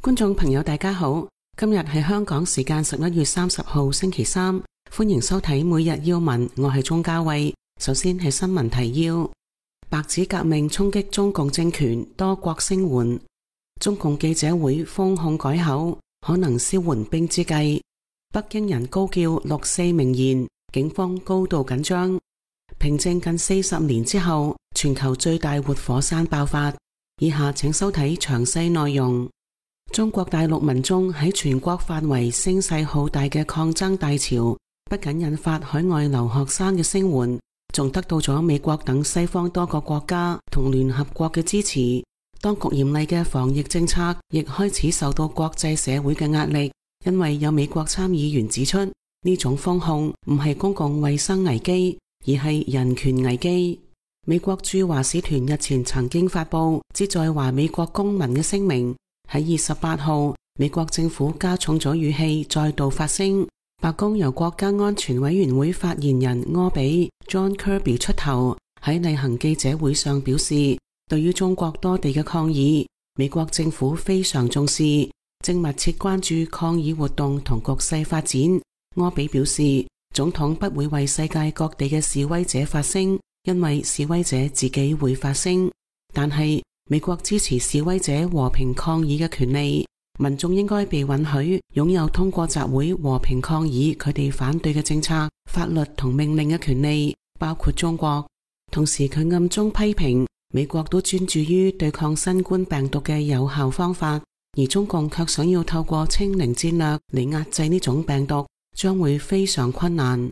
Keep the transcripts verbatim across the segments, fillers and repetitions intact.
觀眾朋友大家好，今日係香港時間十一月三十號星期三，歡迎收睇每日要聞，我係鍾嘉慧。首先係新聞提要：白紙革命衝擊中共政權，多國聲援；中共記者會封控改口，可能消緩兵之計；北京人高叫六四名言，警方高度緊張；平靜近四十年之後，全球最大活火山爆發。以下請收睇詳細內容。中國大陸民眾喺全國範圍聲勢浩大嘅抗爭大潮，不僅引發海外留學生嘅聲援，仲得到咗美國等西方多個國家同聯合國嘅支持。當局嚴厲嘅防疫政策亦開始受到國際社會嘅壓力，因為有美國參議員指出，呢種封控唔係公共衛生危機，而係人權危機。美國駐華使團日前曾經發布旨在華美國公民嘅聲明。喺二十八號，美國政府加重咗語氣，再度發聲。白宮由國家安全委員會發言人柯比 John Kirby 出頭，喺例行記者會上表示，對於中國多地嘅抗議，美國政府非常重視，正密切關注抗議活動同局勢發展。柯比表示，總統不會為世界各地嘅示威者發聲，因為示威者自己會發聲，但係美國支持示威者和平抗議嘅權利，民眾應該被允許擁有通過集會和平抗議佢哋反對嘅政策、法律同命令嘅權利，包括中國。同時佢暗中批評美國都專注於對抗新冠病毒嘅有效方法，而中共卻想要透過清零戰略嚟壓制呢種病毒，將會非常困難。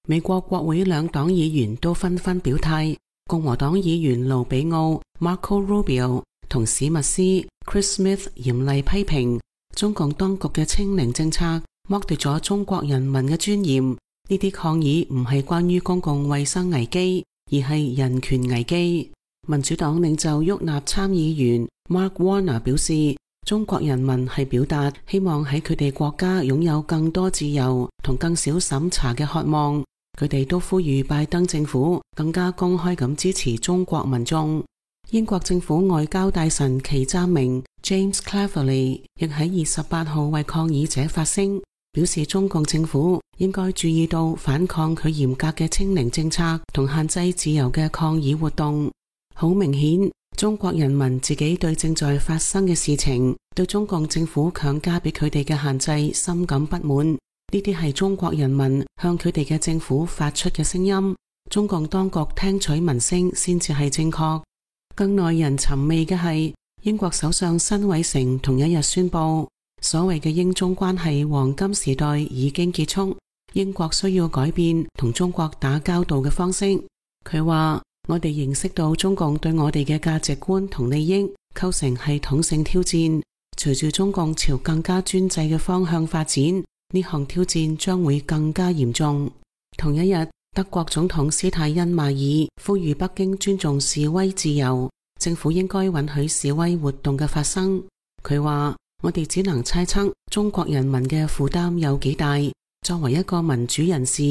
美國國會兩黨議員都紛紛表態，共和黨議員盧比奧 Marco Rubio 同史密斯 Chris Smith 嚴厲批評中共當局嘅清零政策剝奪咗中國人民嘅尊嚴。呢啲抗議唔係關於公共衛生危機，而係人權危機。民主黨領袖沃納參議員 Mark Warner 表示，中國人民係表達希望喺佢哋國家擁有更多自由同更少審查嘅渴望。佢哋都呼籲拜登政府更加公開咁支持中國民眾。英國政府外交大臣祁湛明 James Cleverly 亦喺二十八號為抗議者發聲，表示中共政府應該注意到反抗佢嚴格嘅清零政策同限制自由嘅抗議活動。好明顯，中國人民自己對正在發生嘅事情，對中共政府強加俾佢哋嘅限制深感不滿。呢啲係中國人民向佢哋嘅政府發出嘅聲音，中共當局聽取民聲先至係正確。更耐人尋味嘅係，英國首相辛偉誠同一日宣布，所謂嘅英中關係黃金時代已經結束，英國需要改變同中國打交道嘅方式。佢話，我哋認識到中共對我哋嘅價值觀同利益構成系統性挑戰，隨住中共朝更加專制嘅方向發展，呢項挑戰將會更加嚴重。同一日，德國總統施泰因邁爾呼籲北京尊重示威自由，政府應該允許示威活動嘅發生。佢話，我哋只能猜測中國人民嘅負擔有幾大。作為一個民主人士，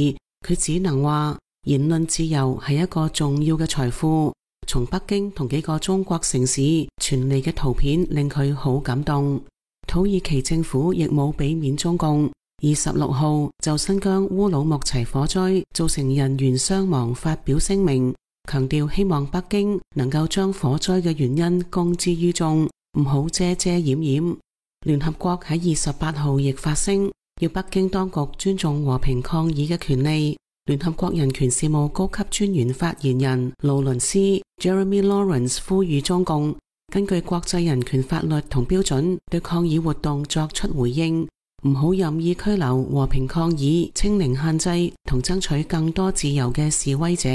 佢只能話言論自由係一個重要嘅財富。從北京同幾個中國城市傳嚟嘅圖片令佢好感動。土耳其政府亦冇俾面中共。二十六號就新疆烏魯木齊火災造成人員傷亡發表聲明，強調希望北京能夠將火災嘅原因公之於眾，唔好遮遮掩掩。聯合國喺二十八號亦發聲，要北京當局尊重和平抗議嘅權利。聯合國人權事務高級專員發言人勞倫斯 Jeremy Lawrence 呼籲中共根據國際人權法律同標準對抗議活動作出回應，唔好任意拘留和平抗議、清零限制同爭取更多自由嘅示威者。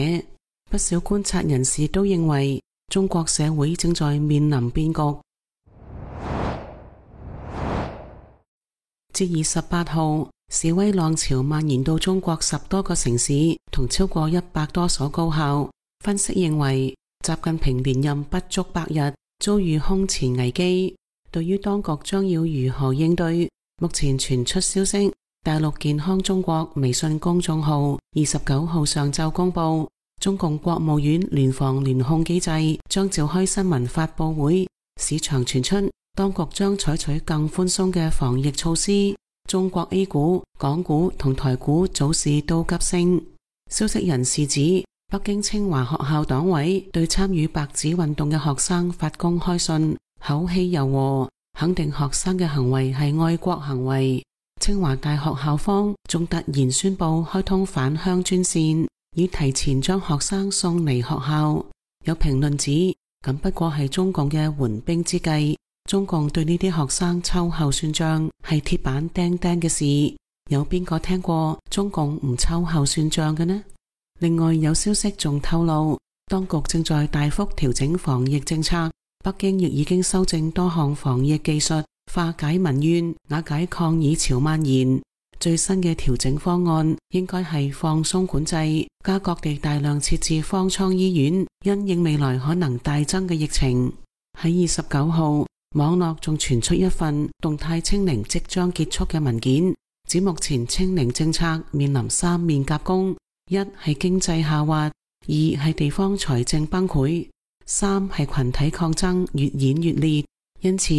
不少觀察人士都認為，中國社會正在面臨變局。至二十八號，示威浪潮蔓延到中國十多個城市同超過一百多所高校。分析認為，習近平連任不足百日，遭遇空前危機。對於當局將要如何應對，目前傳出消息，大陸健康中國微信公眾號二十九號上晝公布，中共國務院聯防聯控機制將召開新聞發佈會。市場傳出當局將採取更寬鬆嘅防疫措施。中國 A 股、港股同台股早市都急升。消息人士指，北京清華學校黨委對參與白紙運動嘅學生發公開信，口氣柔和，肯定學生嘅行為係愛國行為。清華大學校方仲突然宣布開通返鄉專線，以提前將學生送離學校。有評論指，咁不過係中共嘅緩兵之計。中共對呢啲學生秋後算賬係鐵板釘釘嘅事。有邊個聽過中共唔秋後算賬嘅呢？另外有消息仲透露，當局正在大幅調整防疫政策，北京亦已經修正多項防疫技術，化解民怨，瓦解抗議潮蔓延。最新嘅調整方案應該係放鬆管制，加各地大量設置方艙醫院，因應未來可能大增嘅疫情。喺二十九號，網絡仲傳出一份動態清零即將結束嘅文件，指目前清零政策面臨三面夾攻：一係經濟下滑，二係地方財政崩潰，三係群體抗爭越演越烈。因此，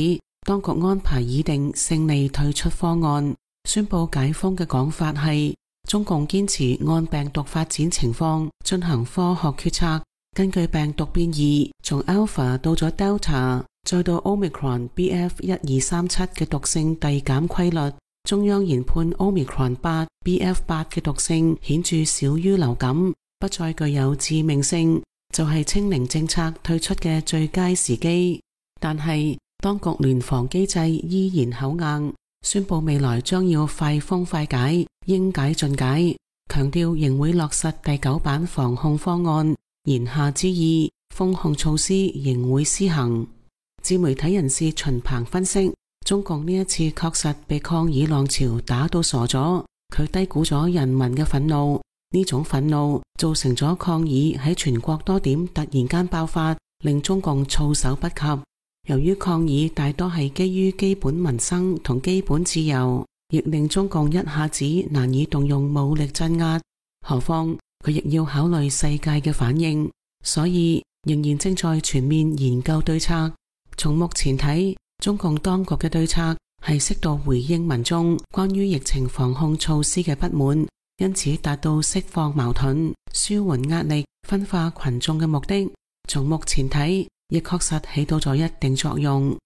當局安排擬定勝利退出方案，宣布解封嘅講法係中共堅持按病毒發展情況進行科學決策，根據病毒變異從 Alpha 到咗 Delta，再到 Omicron B F 一二三七嘅毒性遞減規律，中央研判 Omicron 八 B F 八嘅毒性顯著少於流感，不再具有致命性，就係清零政策退出嘅最佳時機。但係當局聯防機制依然口硬，宣布未來將要快封快解，應解盡解，強調仍會落實第九版防控方案，言下之意，封控措施仍會施行。自媒體人士秦鵬分析，中共呢一次確實被抗議浪潮打到傻咗，佢低估咗人民嘅憤怒，呢種憤怒造成咗抗議喺全國多點突然間爆發，令中共措手不及。由於抗議大多係基於基本民生同基本自由，亦令中共一下子難以動用武力鎮壓，何況佢亦要考慮世界嘅反應，所以仍然正在全面研究對策。從目前睇，中共當局嘅對策係適度回應民眾關於疫情防控措施嘅不滿，因此達到釋放矛盾、舒緩壓力、分化群眾嘅目的。從目前睇，亦確實起到咗一定作用。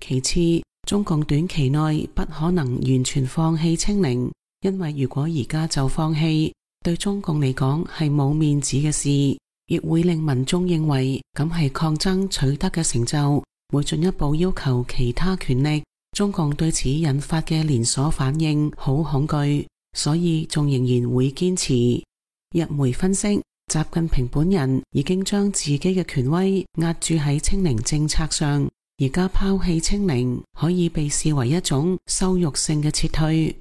其次，中共短期內不可能完全放棄清零，因為如果而家就放棄，對中共嚟講係冇面子嘅事，亦會令民眾認為咁係抗爭取得嘅成就，會進一步要求其他權力。中共對此引發嘅連鎖反應好恐懼，所以仲仍然會堅持。日媒分析，習近平本人已經將自己嘅權威壓注喺清零政策上，而家拋棄清零可以被視為一種羞辱性嘅撤退。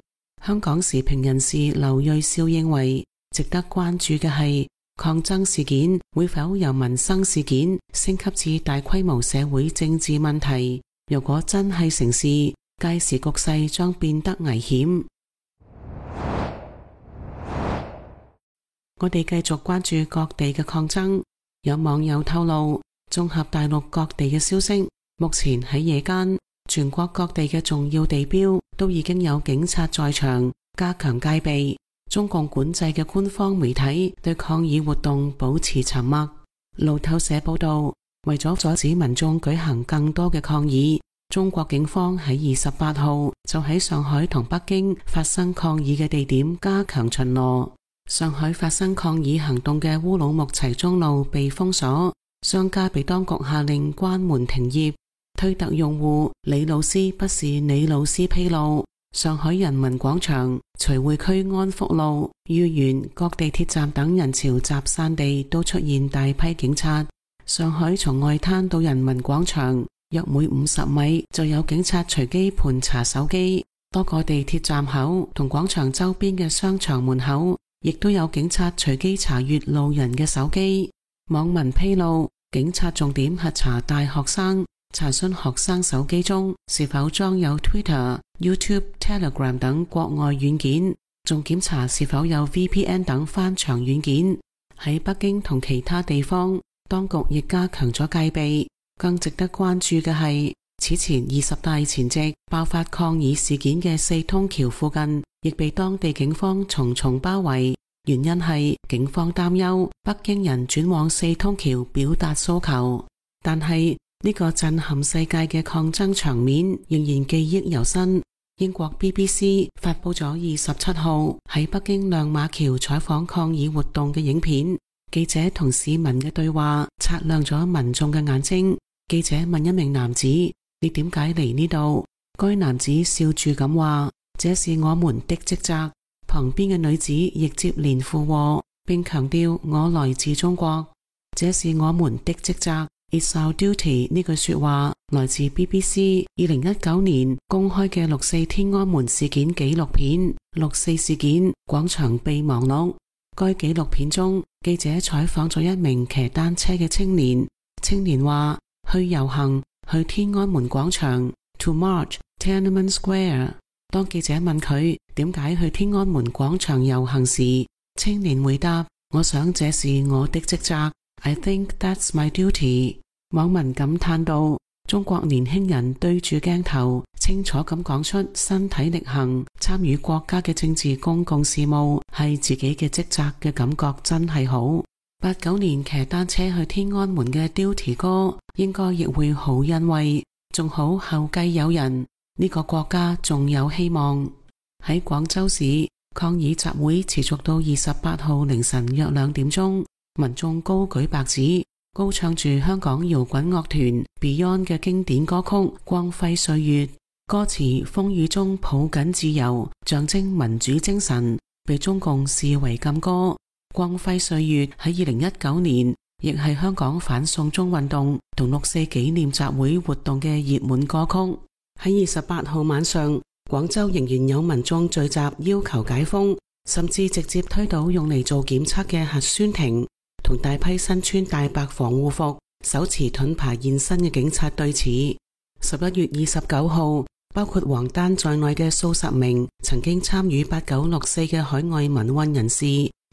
香港時評人士劉銳紹認為，值得關注嘅係抗爭事件會否由民生事件升級至大規模社會政治問題。如果真係成事，屆時局勢將變得危險。我哋繼續關注各地嘅抗爭。有網友透露，綜合大陸各地嘅消息，目前喺夜間，全國各地嘅重要地標都已經有警察在場，加強戒備。中共管制嘅官方媒體對抗議活動保持沉默。路透社報道，為咗阻止民眾舉行更多嘅抗議，中國警方喺二十八號就喺上海同北京發生抗議嘅地點加強巡邏。上海發生抗議行動嘅烏魯木齊中路被封鎖，商家被當局下令關門停業。推特用戶李老師不是李老師披露，上海人民廣場、徐匯區安福路、豫園各地鐵站等人潮集散地都出現大批警察。上海從外灘到人民廣場約每五十米就有警察隨機盤查手機，多個地鐵站口同廣場周邊嘅商場門口亦都有警察隨機查閱路人嘅手機。網民披露，警察重點核查大學生，查詢學生手機中是否裝有 Twitter、YouTube、Telegram 等國外軟件，仲檢查是否有 V P N 等翻牆軟件。喺北京同其他地方，當局亦加強咗戒備。更值得關注嘅係，此前二十大前夕爆發抗議事件嘅四通橋附近，亦被當地警方重重包圍。原因係警方擔憂北京人轉往四通橋表達訴求。但係呢個震撼世界嘅抗爭場面仍然記憶猶新。英國 B B C 發佈咗二十七號喺北京亮馬橋採訪抗議活動嘅影片，記者同市民嘅對話擦亮咗民眾嘅眼睛。記者問一名男子：你點解嚟呢度？該男子笑住咁話：這是我們的職責。旁邊嘅女子亦接連附和，並強調我來自中國，這是我們的職責。It's our duty 呢句說話來自 B B C 二零一九年公開嘅六四天安門事件紀錄片《六四事件：廣場備忘錄》。該紀錄片中，記者採訪咗一名騎單車嘅青年。青年話：去遊行，去天安門廣場 ，to march Tiananmen Square。當記者問佢點解去天安門廣場遊行時，青年回答：我想這是我的職責。I think that's my duty。網民感嘆道：中國年輕人對住鏡頭，清楚咁講出身體力行參與國家嘅政治公共事務係自己嘅職責嘅感覺真係好。八九年騎單車去天安門嘅 Duty 哥應該亦會好欣慰，仲好後繼有人。呢個國家仲有希望。喺廣州市，抗議集會持續到二十八號凌晨約兩點鐘，民眾高舉白紙，高唱住香港搖滾樂團 Beyond 嘅經典歌曲《光輝歲月》，歌詞風雨中抱緊自由，象徵民主精神，被中共視為禁歌。《光輝歲月》喺二零一九年亦係香港反送中運動同六四紀念集會活動嘅熱門歌曲。喺二十八號晚上，廣州仍然有民眾聚集要求解封，甚至直接推倒用嚟做檢測嘅核酸亭，同大批身穿大白防護服、手持盾牌現身嘅警察對峙。十一月二十九號，包括王丹在內嘅數十名曾經參與八九六四嘅海外民運人士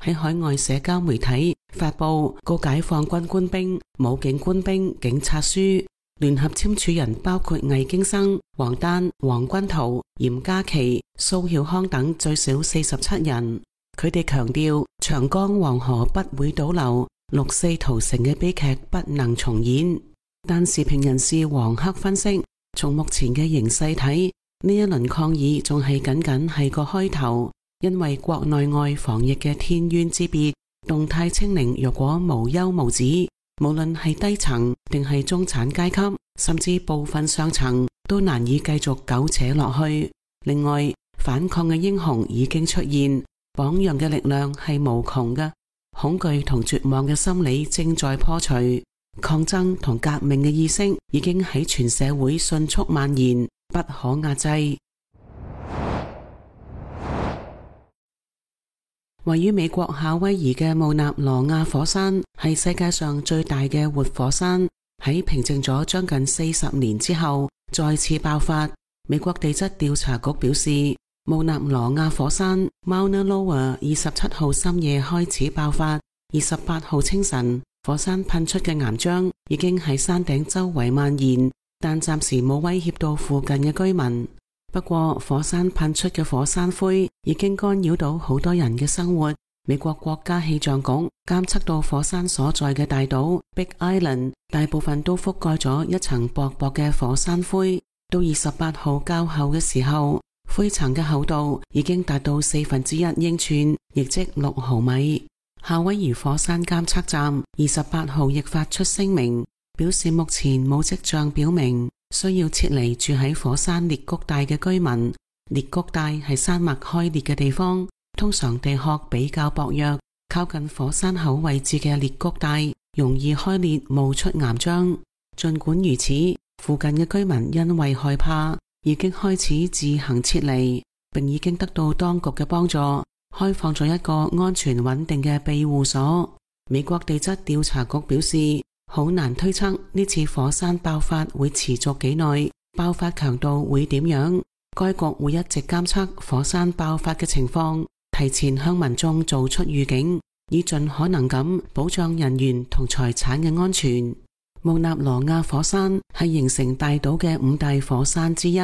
喺海外社交媒體發布告解放軍官兵、武警官兵警察書。聯合簽署人包括魏京生、王丹、黃君濤、嚴家琪、蘇曉康等最少四十七人。佢哋強調長江黃河不會倒流，六四屠城嘅悲劇不能重演。但時評人士黃克分析，從目前嘅形勢睇，呢一輪抗議仲係僅僅係個開頭，因為國內外防疫嘅天淵之別，動態清零若果無休無止，無論係低層定係中產階級，甚至部分上層，都難以繼續苟且落去。另外，反抗嘅英雄已經出現，榜樣嘅力量係無窮嘅。恐懼同絕望嘅心理正在破除，抗爭同革命嘅意識已經喺全社會迅速蔓延，不可壓制。位於美國夏威夷嘅慕納羅亞火山係世界上最大嘅活火山，喺平靜咗將近四十年之後再次爆發。美國地質調查局表示，慕納羅亞火山 Mauna Loa 二十七號深夜開始爆發，二十八號清晨火山噴出嘅岩漿已經喺山頂周圍蔓延，但暫時冇威脅到附近嘅居民。不過，火山噴出嘅火山灰已經干擾到好多人嘅生活。美國國家氣象局監測到火山所在嘅大島 Big Island 大部分都覆蓋咗一層薄薄嘅火山灰。到二十八號較後嘅時候，灰層嘅厚度已經達到四分之一英寸，亦即六毫米。夏威夷火山監測站二十八號亦發出聲明，表示目前冇跡象表明需要撤離住喺火山裂谷帶嘅居民。裂谷帶係山脈開裂嘅地方，通常地殼比較薄弱，靠近火山口位置嘅裂谷帶容易開裂冒出岩漿。盡管如此，附近嘅居民因為害怕，已經開始自行撤離，並已經得到當局嘅幫助，開放咗一個安全穩定嘅庇護所。美國地質調查局表示，好難推測呢次火山爆發會持續幾耐，爆發強度會點樣。該局會一直監測火山爆發嘅情況，提前向民眾做出預警，以盡可能咁保障人員同財產嘅安全。穆納羅亞火山係形成大島嘅五大火山之一。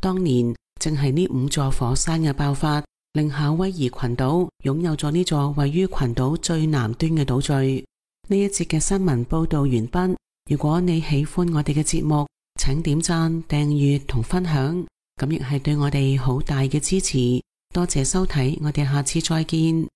當年正係呢五座火山嘅爆發，令夏威夷群島擁有咗呢座位於群島最南端嘅島嶼。呢一節嘅新聞報道完畢。如果你喜歡我哋嘅節目，請點讚、訂閱同分享，咁亦係對我哋好大嘅支持。多謝收睇，我哋下次再見。